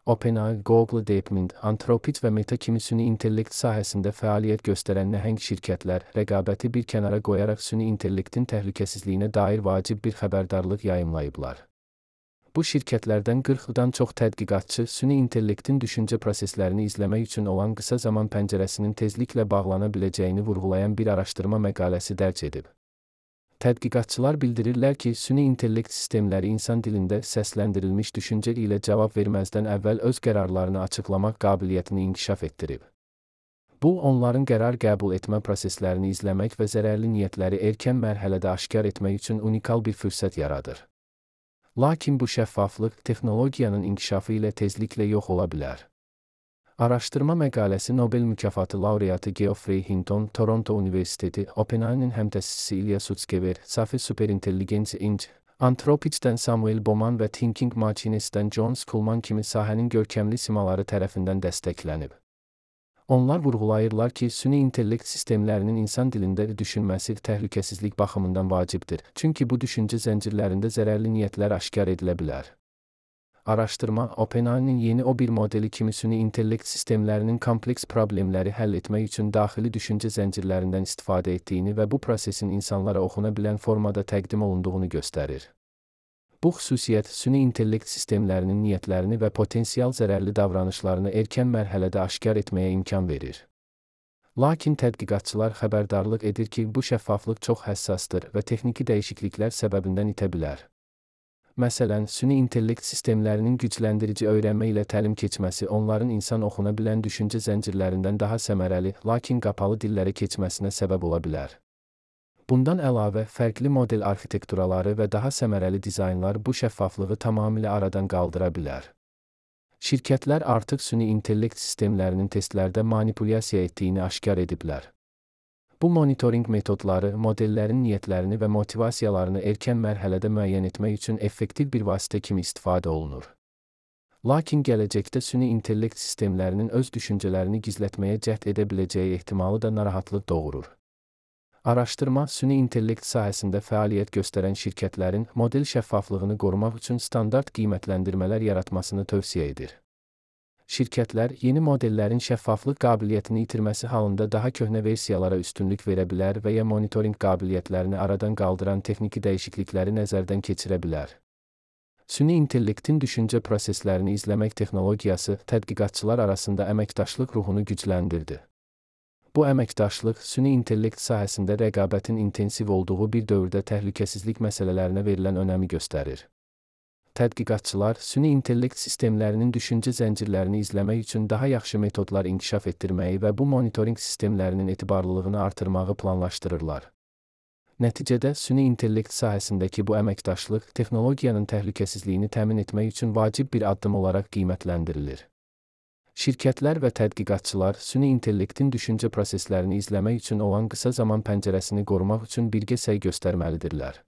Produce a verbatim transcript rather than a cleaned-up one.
OpenAI, Google, DeepMind, Anthropic və Meta kimi süni intellekt sahəsində fəaliyyət göstərən nəhəng şirkətlər rəqabəti bir kənara qoyaraq süni intellektin təhlükəsizliyinə dair vacib bir xəbərdarlıq yayımlayıblar. Bu şirkətlərdən qırxdan çox tədqiqatçı süni intellektin düşüncə proseslərini izləmək üçün olan qısa zaman pəncərəsinin tezliklə bağlana biləcəyini vurğulayan bir araşdırma məqaləsi dərc edib. Tədqiqatçılar bildirirlər ki, süni intellekt sistemləri insan dilində səsləndirilmiş düşüncə ilə cavab verməzdən əvvəl öz qərarlarını açıqlamaq qabiliyyətini inkişaf etdirib. Bu, onların qərar qəbul etmə proseslərini izləmək və zərərli niyyətləri erkən mərhələdə aşkar etmək üçün unikal bir fürsət yaradır. Lakin bu şəffaflıq texnologiyanın inkişafı ilə tezliklə yox ola bilər. Araşdırma məqaləsi Nobel mükafatı laureatı Geoffrey Hinton, Toronto Universiteti, OpenAI-nin həmtəsisi Ilya Sutskever, Safi Superintelligency Incorporated, Anthropic'dən Samuel Bowman və Thinking Machines'dən John Schulman kimi sahənin görkəmli simaları tərəfindən dəstəklənib. Onlar vurğulayırlar ki, süni intellekt sistemlərinin insan dilində düşünməsi təhlükəsizlik baxımından vacibdir, çünki bu düşüncə zəncirlərində zərərli niyyətlər aşkar edilə bilər. Araşdırma, OpenAI-nin yeni o bir modeli kimi süni intellekt sistemlərinin kompleks problemləri həll etmək üçün daxili düşüncə zəncirlərindən istifadə etdiyini və bu prosesin insanlara oxuna bilən formada təqdim olunduğunu göstərir. Bu xüsusiyyət süni intellekt sistemlərinin niyyətlərini və potensial zərərli davranışlarını erkən mərhələdə aşkar etməyə imkan verir. Lakin tədqiqatçılar xəbərdarlıq edir ki, bu şəffaflıq çox həssasdır və texniki dəyişikliklər səbəbindən itə bilər. Məsələn, süni intellekt sistemlərinin gücləndirici öyrənmə ilə təlim keçməsi onların insan oxuna bilən düşüncə zəncirlərindən daha səmərəli, lakin qapalı dillərə keçməsinə səbəb ola bilər. Bundan əlavə, fərqli model arxitekturaları və daha səmərəli dizaynlar bu şəffaflığı tamamilə aradan qaldıra bilər. Şirkətlər artıq süni intellekt sistemlərinin testlərdə manipulyasiya etdiyini aşkar ediblər. Bu monitoring metodları modellərin niyyətlərini və motivasiyalarını erkən mərhələdə müəyyən etmək üçün effektiv bir vasitə kimi istifadə olunur. Lakin gələcəkdə süni intellekt sistemlərinin öz düşüncələrini gizlətməyə cəhd edə biləcəyi ehtimalı da narahatlıq doğurur. Araşdırma, süni intellekt sahəsində fəaliyyət göstərən şirkətlərin model şəffaflığını qorumaq üçün standart qiymətləndirmələr yaratmasını tövsiyə edir. Şirkətlər yeni modellərin şəffaflıq qabiliyyətini itirməsi halında daha köhnə versiyalara üstünlük verə bilər və ya monitoring qabiliyyətlərini aradan qaldıran texniki dəyişiklikləri nəzərdən keçirə bilər. Süni intellektin düşüncə proseslərini izləmək texnologiyası tədqiqatçılar arasında əməkdaşlıq ruhunu gücləndirdi. Bu əməkdaşlıq süni intellekt sahəsində rəqabətin intensiv olduğu bir dövrdə təhlükəsizlik məsələlərinə verilən önəmi göstərir. Tədqiqatçılar süni intellekt sistemlərinin düşüncə zəncirlərini izləmək üçün daha yaxşı metodlar inkişaf etdirməyi və bu monitoring sistemlərinin etibarlılığını artırmağı planlaşdırırlar. Nəticədə süni intellekt sahəsindəki bu əməkdaşlıq texnologiyanın təhlükəsizliyini təmin etmək üçün vacib bir addım olaraq qiymətləndirilir. Şirkətlər və tədqiqatçılar süni intellektin düşüncə proseslərini izləmək üçün olan qısa zaman pəncərəsini qorumaq üçün birgə səy göstərməlidirlər.